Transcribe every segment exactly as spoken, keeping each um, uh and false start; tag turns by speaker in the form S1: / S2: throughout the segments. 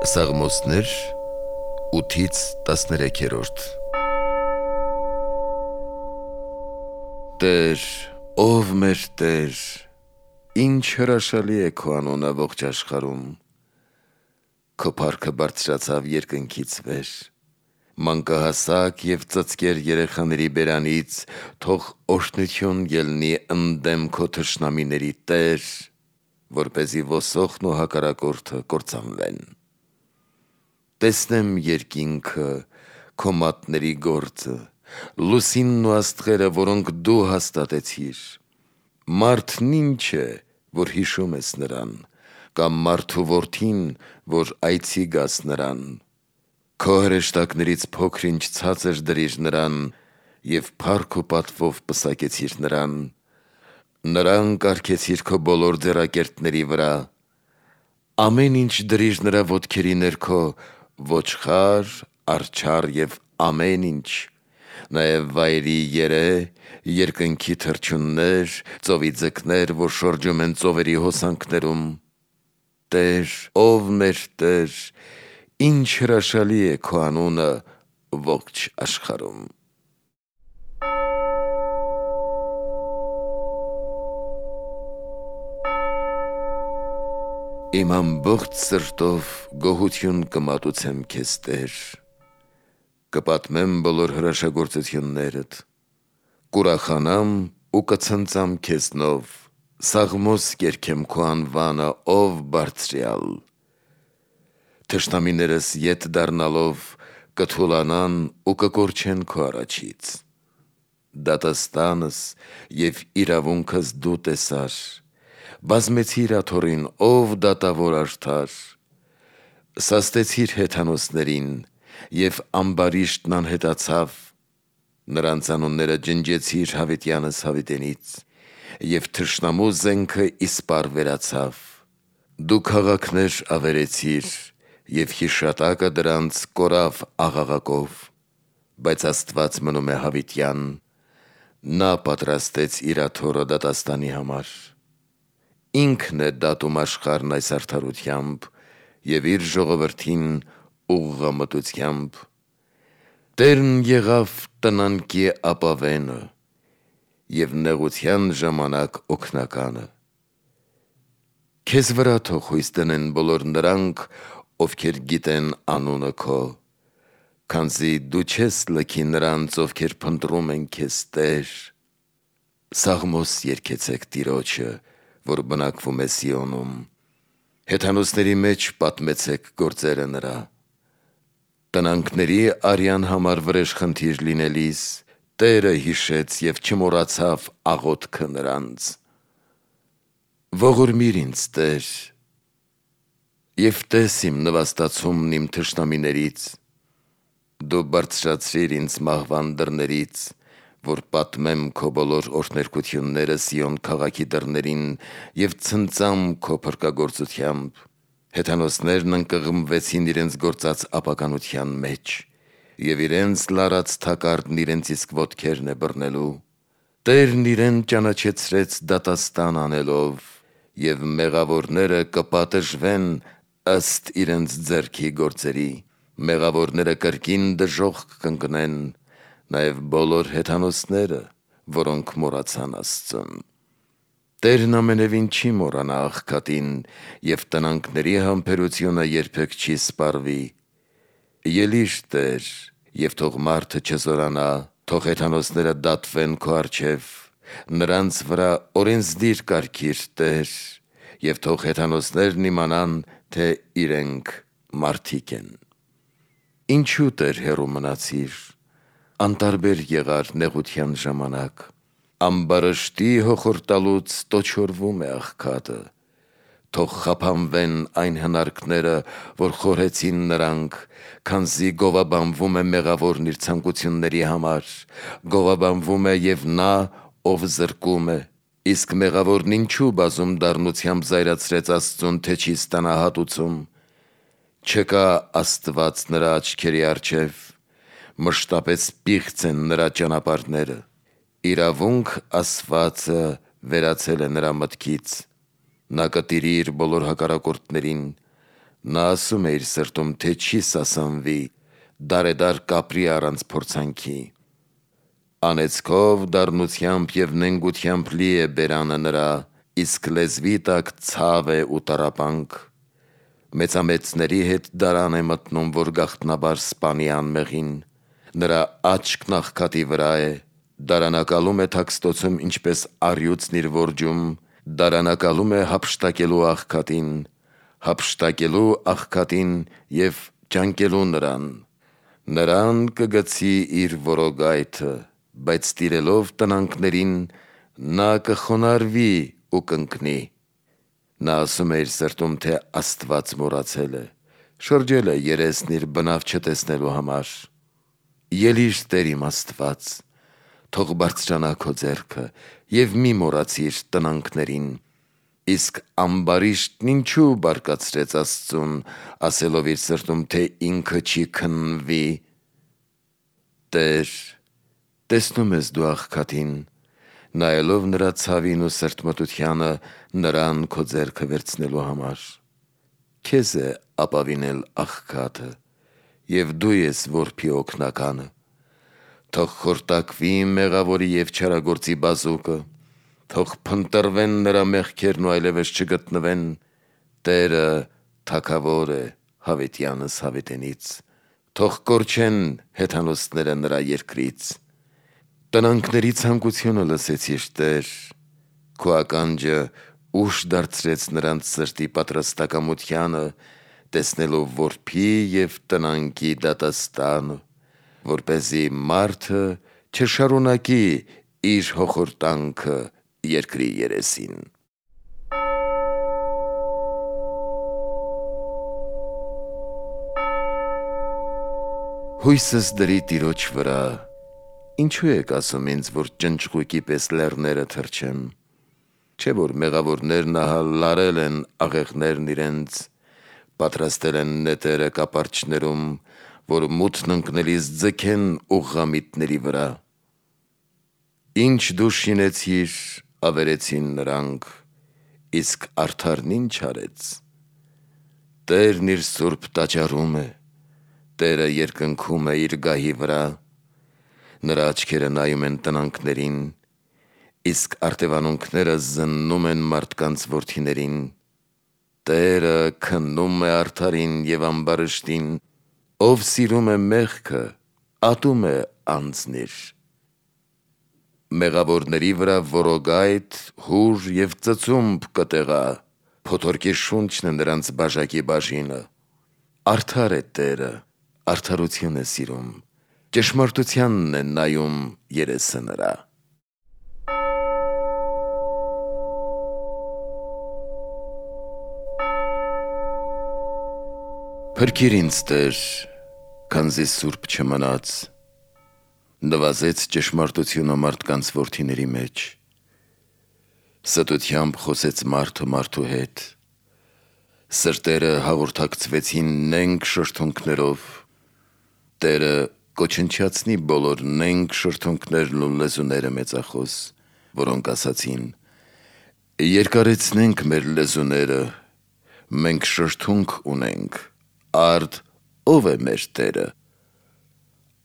S1: Սաղմոսներ ութից տասներեքերորդ Տեր, ով մեր Տեր, ինչ հրաշալի է քո անունը ողջ աշխարհում, քո փառքը բարձրացավ երկնքից վեր, մանկահասակ և ծծկեր երեխաների բերանից թող օրհնություն ելնի ընդդեմ քո թշնամիների, Տեր, որպեսզի ոսոխն ու հակառակորդը կործանվեն։ Տեսնեմ երկինքը, քո մատների գործը, լուսինն ու աստղերը, որոնք դու հաստատեցիր։ Մարդն ինչ է, որ հիշում ես նրան, կամ մարդու որդին, որ այցի գաս նրան։ Քո հրեշտակներից փոքր-ինչ ցածր դրիր նրան և փառք ու պատվով պսակեցիր նրան։ Նրան կարգեցիր քո բոլոր ձեռակերտների վրա, ամեն ինչ դրիր նրա ոտքերի ներքո, ոչխար, արջառ և ամեն ինչ, նաև վայրի երե, երկնքի թռչուններ, ծովի ձկներ, որ շրջում են ծովերի հոսանքներում։ Տեր, ով մեր Տեր, ինչ հրաշալի է քո անունը ողջ աշխարհում։ Իմ ամբողջ սրտով գոհություն կմատուցեմ քեզ, Տեր, կպատմեմ բոլոր հրաշագործություններդ, կուրախանամ ու կցնծամ քեզնով, սաղմոս կերքեմ քո անվանը, ով բարձրյալ։ Թշնամիներս ետ դառնալով կթուլանան ու կկորչեն քո առաջից։ Դատաստանս և իրավունքս դու տեսար, բազմեցիր աթոռին, ով դատավոր արդար։ Սաստեցիր հեթանոսներին, և ամբարիշտն անհետացավ, նրանց անունները ջնջեցիր հավիտյանս հավիտենից, և թշնամու զենքը իսպառ վերացավ։ Դու քաղաքներ ավերեցիր, և հիշատակը դրանց կորավ աղաղակով, բայց Աստված մնում է հավիտյան, նա պատրաստեց իր աթոռը դատաստանի համար։ Ինքն է դատում աշխարհն այս արդարությամբ և իր ժողովրդին ուղղամտությամբ։ Տերն եղավ տնանկի ապավենը և նեղության ժամանակ օգնականը։ Քեզ վրա թող հույս դնեն բոլոր նրանք, ովքեր գիտեն անունը քո, քանզի դու չես լքի նրանց, ովքեր փնտրում են քեզ, Տեր։ Սաղմոս երգեցեք Տիրոջը, որ բնակվում է Սիոնում, հեթանոսների մեջ պատմեցեք գործերը նրա։ Տնանքների արյան համար վրեժխնդիր լինելիս, Տերը հիշեց և չմոռացավ աղոթքը նրանց։ Ողորմիր ինձ, Տեր, և տես իմ նվաստացումն իմ թշնամիներից, դու բարձրացրիր ինձ մահվան դռներից, որ պատմեմ քո բոլոր օրհներգությունները Սիոն քաղաքի դռներին և ցնծամ քո փրկագործությամբ։ Հեթանոսներն ընկղմվեցին իրենց գործած ապականության մեջ, և իրենց լարած թակարդն իրենց իսկ ոտքերն է բռնելու։ Տերն իրեն ճանաչեցրեց դատաստան անելով, և մեղավորները կպատժվեն ըստ իրենց ձեռքի գործերի, մեղավորները կրկին դժոխք կընկնեն, նաև բոլոր հեթանոսները, որոնք մոռացան Աստծուն։ Տերն ամենևին չի մոռանա աղքատին, և տնանքների համբերությունը երբեք չի սպառվի։ Ելի՛ր, Տեր, և թող մարդը չզորանա, թող հեթանոսները դատվեն քո առջև, նրանց վրա օրենսդիր կարգիր, Տեր, և թող հեթանոսներն իմանան, թե իրենք մարդիկ են։ Ինչու, Տեր, հեռու մնացիր, անտարբեր եղար նեղության ժամանակ։ Ամբարշտի հոխորտալուց տոչորվում է աղքատը, թող խափանվեն այն հնարքները, որ խորհեցին նրանք, քանզի գովաբանվում է մեղավորն իր ցանկությունների համար, գովաբանվում է և նա, ով զրկում է, իսկ մեղավորն ինչու բազում դառնությամբ զայրացրեց Աստծուն, թե չի ստանա հատուցում։ Չկա Աստված նրա աչքերի առջև, մշտապես պիղծ են նրա ճանապարհները։ Իրավունք ասվածը վերացել է նրա մտքից, նա կտիրի իր բոլոր հակառակորդներին, Նա ասում է իր սրտում, թե չի սասանվի, դարեդար կապրի առանց փորձանքի։ Անեծքով, դառնությամբ և նենգությամբ լի է բերանը նրա, իսկ լեզվի տակ ցավ է ու տառապանք։ Մեծամեծների հետ դարան է մտնում, որ գաղտնաբար սպանի անմեղին, նրա աչքն աղքատի վրա է, դարանակալում է թաքստոցում ինչպես առյուծն իր որջում, դարանակալում է հափշտակելու աղքատին, հափշտակելու աղքատին և ճանկելու նրան։ Նրան կգցի իր որոգայթը, բայց տիրելով տնանքներին, նա կխոնարհվի ու կընկնի։ Նա ասում է իր սրտում, թե Աստված մոռացել է, շրջել է երեսն իր բնավ չտեսնելու համար։ Ելիր Տեր իմ Աստված, թող բարձրանա քո ձեռքը և մի մոռացիր տնանքներին։ Իսկ ամբարիշտն ինչու բարկացրեց Աստծուն, ասելով իր սրտում, թե ինքը չի քննվի։ Տեր, տեսնում ես դու աղքատին, նայելով նրա ցավին ու սրտմտությանը, նրան քո ձեռքը վերցնելու համար։ Քեզ է ապավինել աղքատը, և դու ես որբի օգնականը։ Թող խորտակվի մեղավորի և չարագործի բազուկը, թող փնտրվեն նրա մեղքերն ու այլևս չգտնվեն։ Տերը թագավոր է հավիտյանս հավիտենից, թող կորչեն հեթանոսները նրա երկրից։ Տնանքների ցանկությունը լսեցիր, Տեր, քո ականջը ուշ դարձրեց նրանց սրտի պատրաստակամությանը, տեսնելով որբի և տնանքի դատաստանը, որպեսզի մարդը չշարունակի իր հոխորտանքը երկրի երեսին։ Հույսս դրի Տիրոջ վրա, ինչու եք ասում ինձ, որ ճնճղույկի պես լեռները թռչեմ։ Չէ՞ որ մեղավորներն ահա լարել են աղեղներն իրենց, պատրաստել են նետերը կապարճներում, որ մութն ընկնելիս ձգեն ուղղամիտների վրա։ Ինչ դու շինեցիր, ավերեցին նրանք, իսկ արդարն ինչ արեց։ Տերն իր սուրբ տաճարում է, Տերը երկնքում է իր գահի վրա, նրա աչքերը նայում են տնանքներին, իսկ արտևանունքները զննում են մարդկանց որդիներին։ Տերը քննում է արդարին և ամբարիշտին, ով սիրում է մեղքը, ատում է անձնիր։ Մեղավորների վրա որոգայթ, հուր և ծծումբ կտեղա, փոթորկի շունչն է նրանց բաժակի բաժինը։ Արդար է Տերը, արդարություն է սիրում, ճշմարտությանն է նայում երեսը նրա։ Փրկիր ինձ, Տեր, քանզի սուրբ չմնաց, նվազեց ճշմարտությունը մարդկանց որդիների մեջ։ Ստությամբ խոսեց մարդը մարդու հետ, սրտերը հաղորդակցվեցին նենգ շրթունքներով։ Տերը կոչնչացնի բոլոր նենգ շրթունքներն ու լեզուները մեծախոս, որոնք ասացին. երկարեցնենք մեր լեզուները, մենք շրթունք ունենք, արդ ո՞վ է մեր Տերը։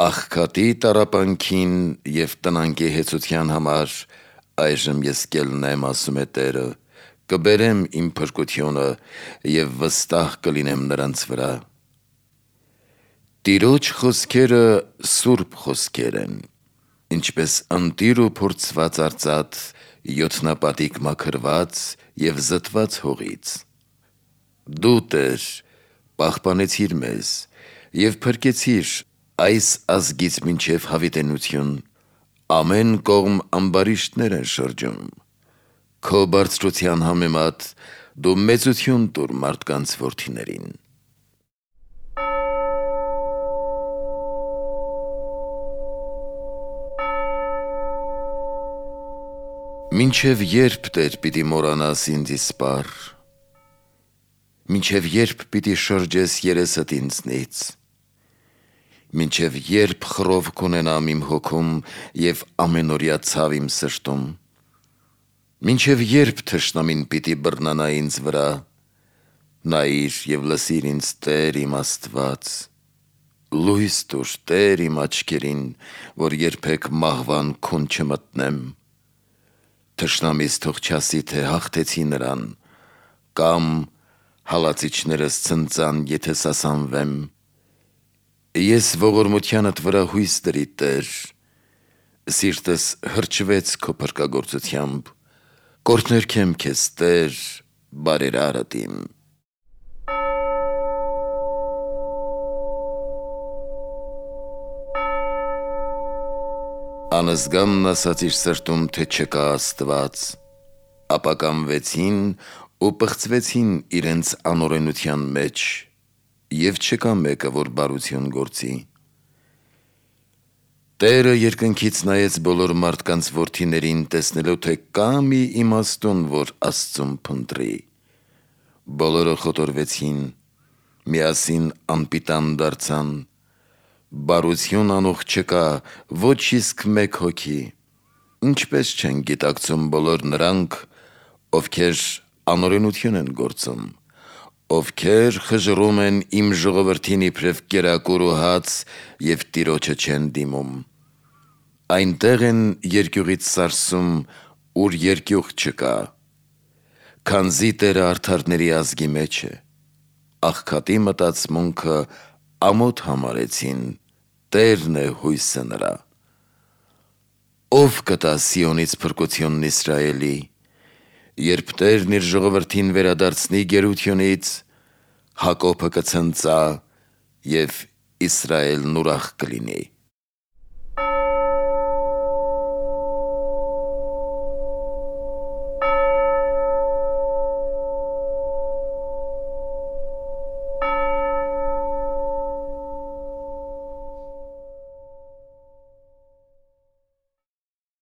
S1: Աղքատի տառապանքին և տնանքի հեծության համար այժմ ես կելնեմ, ասում է Տերը, կբերեմ իմ փրկությունը և վստահ կլինեմ նրանց վրա։ Տիրոջ խոսքերը սուրբ խոսքեր են, ինչպես ընտիր ու փորձված արծաթ, յոթնապատիկ մաքրված և զտված հողից։ Դու, Տեր, պահպանեցիր մեզ և փրկեցիր այս ազգից մինչև հավիտենություն, ամեն կողմ ամբարիշտներ են շրջում։ Քո բարձրության համեմատ դու մեծություն տուր մարդկանց որդիներին։ Մինչև երբ, Տեր, պիտի մոռանաս ինձ իսպառ, մինչև երբ պիտի շրջես երեսդ ինձնից, մինչև երբ խռով կունենամ իմ հոգում և ամենօրյա ցավ իմ սրտում, մինչև երբ թշնամին պիտի բռնանա ինձ վրա, Նայիր եւ լսիր ինձ Տեր իմ Աստված, լույս տուր Տեր իմ աչքերին, որ երբեք մահվան քուն չմտնեմ, թշնամիս թող չասի, թե հաղթեցի նրան, կամ հալածիչներս ցնծան, եթե սասանվեմ, ես ողորմությանդ վրա հույս դրի Տեր, սիրտս հրճվեց քո փրկագործությամբ, կօրհնեմ քեզ Տեր, բարերարդ իմ։ Անզգանն ասաց իր սրտում, թե չկա Աստված, ապա կամվեցին ու պղծվեցին իրենց անօրենության մեջ, և չկա մեկը, որ բարություն գործի։ Տերը երկնքից նայեց բոլոր մարդկանց որդիներին, տեսնելով, թե կա մի իմաստուն, որ Աստծուն փնտրի։ Բոլորը խոտորվեցին, միասին անպիտան դարձան, բարություն անող չկա, ոչ իսկ մեկ հոգի, ինչպես չեն գիտակցում բոլոր նրանք, ովքեր անօրենություն են գործում, ովքեր խժռում են իմ ժողովրդին իբրև կերակուր ու հաց և Տիրոջը չեն դիմում։ Այնտեղ են երկյուղից սարսում, ուր երկյուղ չկա, քանզի Տերը արդարների ազգի մեջ է, աղքատի մտածմունքը ամոթ համարեցին, Տերն է հույսը նրա։ Ո՞վ կտա Սիոնից փրկությունն Իսրայելի, երբ Տերն իր ժողովրդին վերադարձնի գերությունից, Հակոբը կցնծա և Իսրայելն ուրախ կլինի։